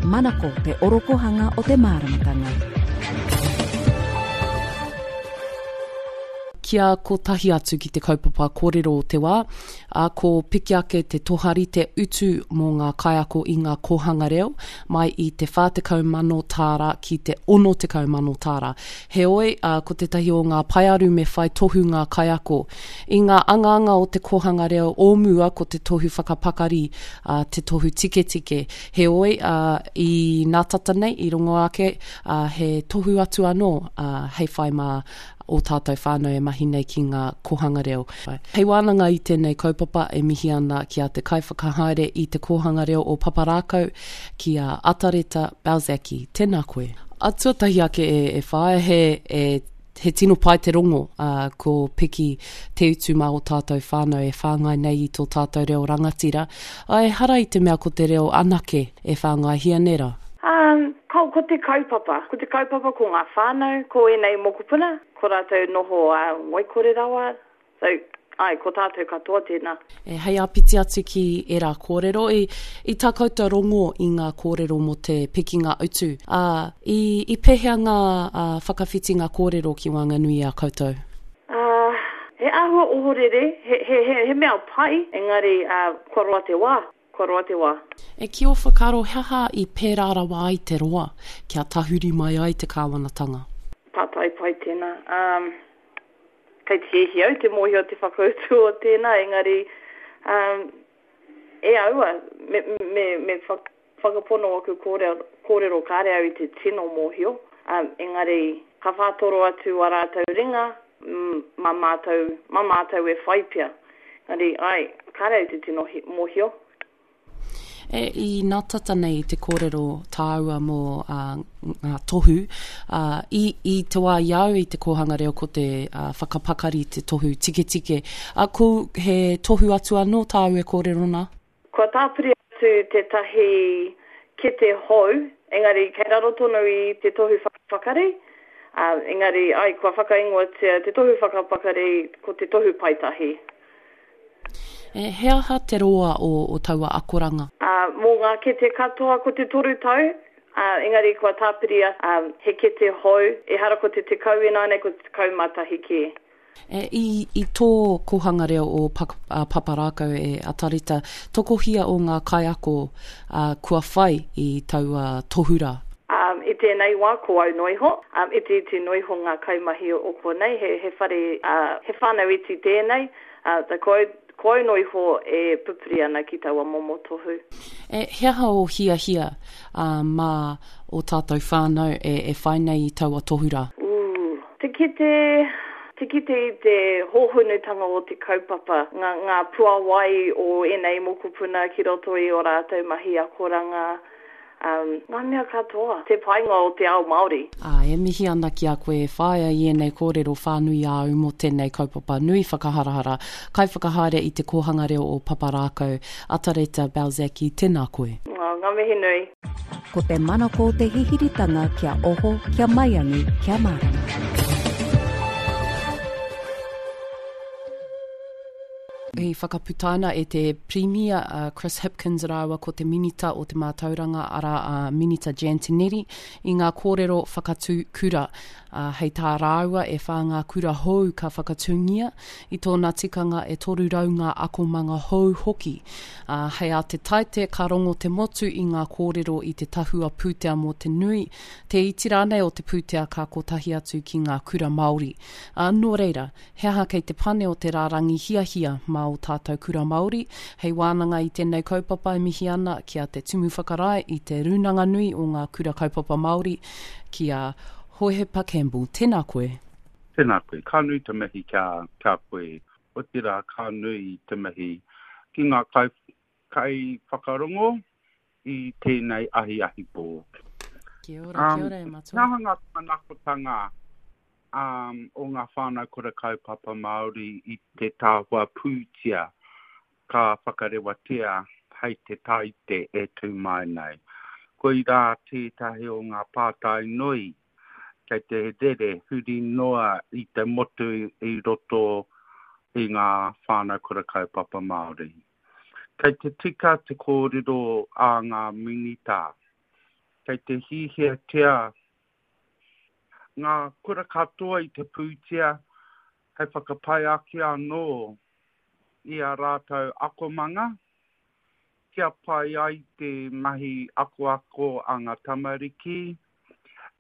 Manako te orokohanga o te māramatanga. Kia kotahi atu ki te kaupapa kōrero o te wā, ā, ko piki ake te toharite utu mō ngā kaiako i ngā kōhanga reo, mai i te 40,000 tāra ki te 60,000 tāra. Heoi, ā, ko tētahi o ngā paearu me whai tohu ngā kaiako. I ngā angaanga o te kōhanga reo o mua ko te tohu whakapakari, ā, te tohu tiketike. Heoi, ā, i nā tata nei, i rongo ake, ā, he tohu atu anō, ā, hei whai mā ō tātou whānau e mahi nei ki ngā kōhanga reo. Hei wānanga i tēnei kaupapa e mihi ana ki a te kaiwhakahaere i Te Kōhanga Reo o Paparākau, ki a Atareta Balzacki. Tēnā koe. A tuatahi ake e, e whāia, he, e, he tino pai te rongo, ā, ko piki te utu mā ō tātou whānau e whāngai nei i tō tātou reo rangatira. Ā, ehara i te mea ko te reo anake e whāngaihia nei rā. Ā, ko, ko te kaupapa, ko te kaupapa ko ngā whānau, ko ēnei mokopuna, ko rātou noho ā, ngoikore rawa, so, āe, ko tātou katoa tēnā. E, hei āpiti atu ki ērā kōrero, i, i tā koutou rongo i ngā kōrero mō te pikinga utu, ā, i, i pēhea ngā, ā, whakawhitinga kōrero ki waenganui i a koutou? Ā, he āhua ohorere, he, he, he, he mea pai, engari, ā, kua roa te wā. Kua roa te wā. E ki ō whakaaro he aha i pērā rawa ai te roa kia tahuri mai ai te kāwanatanga? Pātai pai tēnā. Um, kei te hiahia au te mōhio te whakautu o tēnā, engari, um, e aua, me, me, me whakapono aku kōrero, kōrero kāre au i te tino mōhio, um, engari, ka whātoro atu a rātou ringa, mā mātou, mā mātou e whai pea. Engari, āe, kāre au te tino mōhio. E, i nā tata nei te kōrero tāua mō ā, ngā tohu, ā, i, i te wā i a au i te kōhanga reo ko te ā, whakapakari te tohu tiketike. Ā, ko, he tohu atu anō tāu e kōrero nā? Kua tāpiri atu tētahi kete hou, engari kei raro tonu i te tohu whakapakari, ā, engari, āe, kua whakaingoatia te tohu whakapakari ko te tohu paetahi. E, he aha te roa o, o taua akoranga? Ā, mō ngā kete katoa ko te toru tau, ā, engari kua tāpiria, ā, he kete hou, ehara ko te 10 ināianei, ko te 11 kē. E, i, i tō kōhanga reo o Pak, a, Paparākau e Atareta, tokohia o ngā kaiako, ā, kua whai i taua tohu rā? Ā, i tēnei wā ko au noa iho, ā, itiiti noa iho ngā kaimahi o konei, he, he whare, ā, he whānau iti tēnei, ā, ko au, ko au noa iho e pupuri ana ki taua momo tohu. E, he aha ō hiahia, ā, mā ō tātou whānau e, e whai nei i taua tohu rā? Ooh. Te kite, te kite i te hōhonutanga o te kaupapa, ngā, ngā puawai o ēnei mokopuna ki roto i ō rātou mahi akoranga, um, ngā mea katoa. Te painga o te ao Māori. Ā, e mihi ana ki a koe e whāia i ēnei kōrero whānui āu mō tēnei kaupapa nui whakaharahara, Kaiwhakahaere i Te Kōhanga Reo o Paparākau, Atareta Balzacki, tēnā koe. Ngā, ngā mihi nui. Ko te manako te hihiritanga kia oho, kia maiangi, kia mārama. I whakaputaina e te Pirimia a Chris Hipkins rāua ko te Minita o te Mātauranga arā a Minita Jan Tinetti i ngā kōrero whakatū kura. Ā, hei tā rāua e whā ngā kura hou ka whakatūngia, i tōna tikanga e 300 ngā akomanga hou hoki. Ā, hei ā te Taite ka rongo te motu i ngā kōrero i te tahua pūtea mō te nui, te iti rānei o te pūtea ka kotahi atu ki ngā kura Māori. Ā, nō reira, he aha kei te pane o te rārangi hiahia mā ō tātou kura Māori? Hei wānanga i tēnei kaupapa e mihi ana ki a Te Tumu Whakarae i Te Rūnanga Nui o Ngā Kura Kaupapa Māori, ki a Hohepa Campbell. Tēnā koe. Tēnā koe. Ka nui te mihi ki a, ki a koe. Otirā, ka nui te mihi ki ngā kai, kaiwhakarongo i tēnei ahiahi pō. Kia ora, kia ora e matua. He aha ngā manakotanga um, o ngā whānau kura kaupapa Māori i te tahua pūtea ka whakarewatia hei te Tāite e tū mai nei. Koirā tētahi o ngā pātai nui kei te rere huri noa i te motu i roto i ngā whānau kura kaupapa Māori. Kei te tika te kōrero a ngā Minita. Kei te hihiatia ngā kura katoa i te pūtea hei whakapai ake anō i ā rātou akomanga, kia pai ai te mahi akoako a ngā tamariki,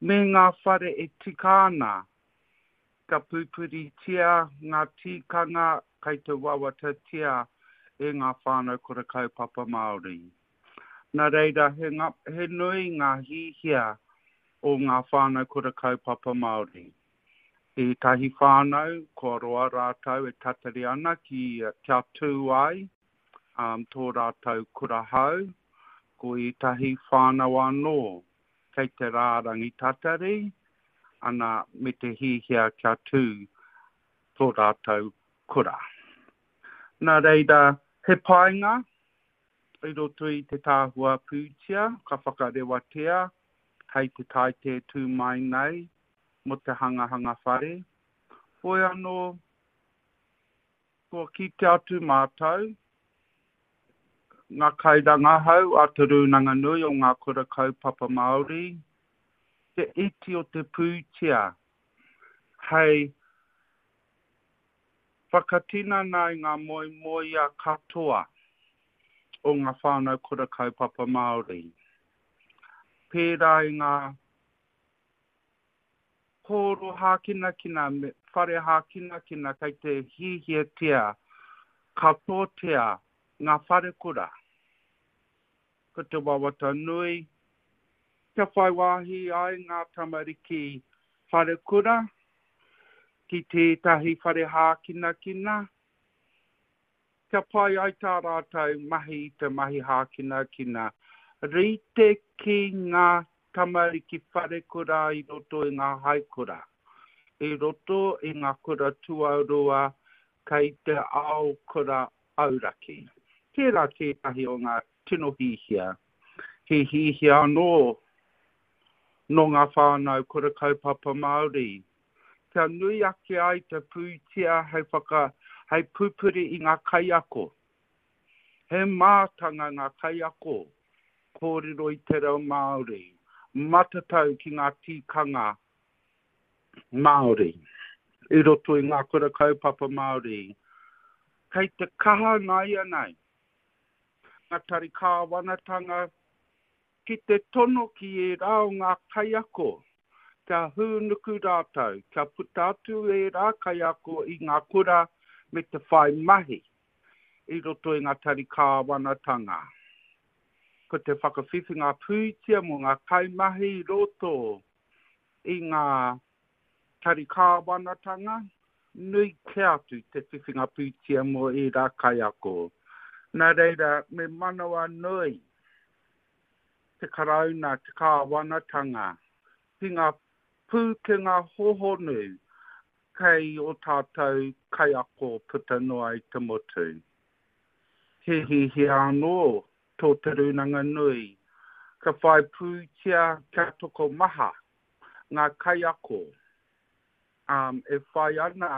me ngā whare e tika ana Ka pupuritia ngā tīkanga kei te wawatatia e ngā whānau kura kaupapa Māori. Nā reira, he, he nui ngā hihia o ngā whānau kura kaupapa Māori. Ētahi whānau, kua roa rātou e tatari ana ki, kia tū ai um, tō rātou kura hou, ko ētahi whānau anō kei te rārangi tatari, ana me te hihia kia tū tō rātou kura. Nā reira, he painga i roto i te tahua pūtea ka whakarewatia hei te Taite tū mai nei mō te hangahanga whare. Whoi anō, kua kite atu mātou Ngā kairangahau a Te Rūnanga Nui o Ngā Kura Kaupapa Māori, te iti o te pūtea hei whakatinana i ngā moemoeā katoa o ngā whānau kura kaupapa Māori, pērā i ngā Hōro hākinakina me whare hākinakina kei te hiahiatia katoatia ngā wharekura. Ko te wawata nui, kia whai wāhi ai ngā tamariki wharekura ki tētahi whare hākinakina, Kia pai ai tā rātou mahi i te mahi hākinakina, rite ki ngā tamariki wharekura i roto i ngā haikura, i roto i ngā kura tuarua kei te ao kura auraki. Tērā tētahi o ngā tino hihia, he hihia anō nō ngā whānau kura kaupapa Māori kia nui ake ai te pūtea hei whaka, hei pupuri i ngā kaiako. He mātanga ngā kaiako kōrero i te reo Māori, matatau ki ngā tīkanga Māori i roto i ngā kura kaupapa Māori. Kei te kaha nāianei ngā tari kāwanatanga Ki te tono ki ērā o ngā kaiako kia hūnuku rātou, kia puta atu ērā kaiako i ngā kura me te whai mahi i roto i ngā tari kāwanatanga. Ko te whakawhiwhinga pūtea mō ngā kaimahi i roto i ngā tari kāwanatanga, nui kē atu te whiwhinga pūtea mō ērā kaiako. Nā reira, me manawanui te Karauna, te kāwanatanga, ki ngā pūkenga hohonu kei ō tātou kaiako puta noa i te motu. He hihia anō tō Te Rūnanga Nui kia whai pūtea kia tokomaha ngā kaiako e whai ana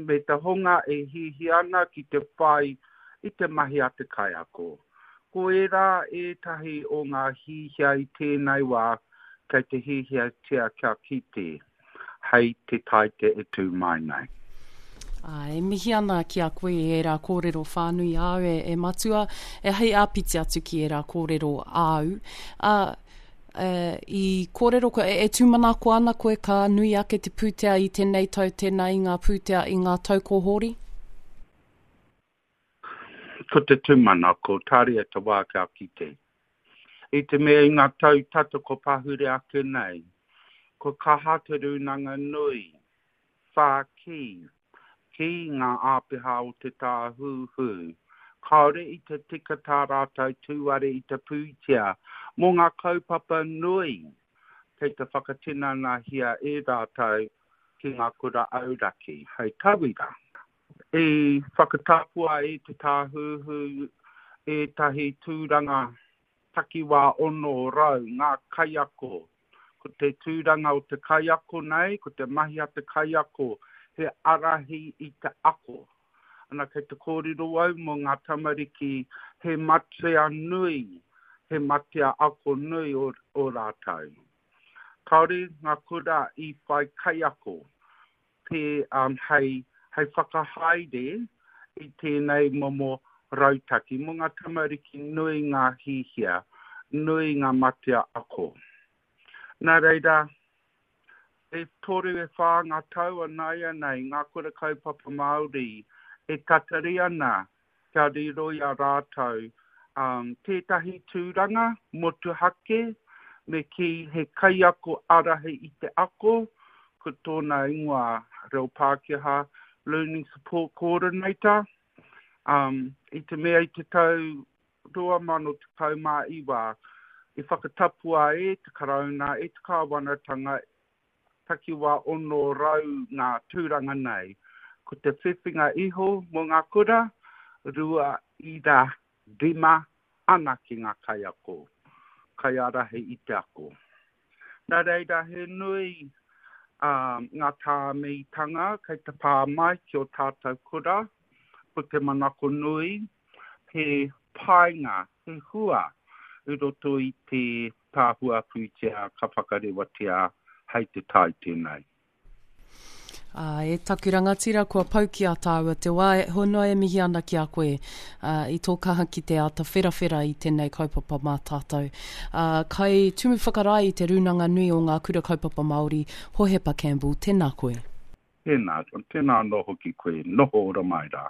me te hunga e hiahia ana ki te whai i te mahi a te kaiako. Ko ērā ētahi o ngā hihia i tēnei wā kei te hiahiatia kia kite hei te Taite e tū mai nei. Ā, e mihi ana ki a koe i ērā kōrero whānui āu e, e Matua, e hei āpiti atu ki ērā kōrero āu. Ā, e, i kōrero koe, e, e tūmanako ana koe ka nui ake te pūtea i tēnei tau tēnā i ngā pūtea i ngā tau ko hori? Ko te tūmanako, tāria te wā kia kite. I te mea i ngā tau tata ko pahure ake nei, kua kaha te Rūnanga Nui whākī ki ngā āpiha o te Tāhuhu, kāore i te tika tā rātou tūare i te pūtea mō ngā kaupapa nui kei te whakatinanahia e rātou ki ngā kura auraki. Hei tauira, i whakatapua e te Tāhuhu ētahi tūranga takiwā 600 ngā kaiako Ko te tūranga o te kaiako nei, ko te mahi a te kaiako, he ārahi i te ako. Ana, kei te kōrero au mō ngā tamariki he matea nui. He matea ako nui o, o rātou. Kāore ngā kura i whai kaiako te, um, hei, hei whakahaere i tēnei momo rautaki. Mō ngā tamariki nui ngā hihia, nui ngā matea ako. Nā reira, E toru e whā ngā tau ināianei ngā kura kaupapa Māori e tatari ana kia riro i a rātou tētahi tūranga motuhake me kī he kaiako ārahi i te ako, ko tōna ingoa reo Pākehā Learning Support Coordinator. I te mea i te tau 2019 i whakatapua e te Karauna, e te Kāwanatanga takiwā 600 ngā tūranga nei. Ko te whiwhinga iho mō ngā kura, 2.5 anake ngā kaiako, kaiārahi i te ako. Nā reira, he nui ngā tāmitanga kei te pā mai ki ō tātou kura, ko te manako nui, he painga, he hua i roto i te tahua pūtea ka whakarewatia hei te tai tēnei. Ā, e taku rangatira, kua pau ki a tāua te wā, e honoa e mihi ana ki a koe, ā, i tō kaha ki te āta wherawhera i tēnei kaupapa mā tātou. Ā, kai Tumu Whakarae i te Rūnanga Nui o Ngā Kura Kaupapa Māori, Hohepa Campbell, tēnā koe. Tēnā, tēnā anō hoki koe, noho ora mai rā.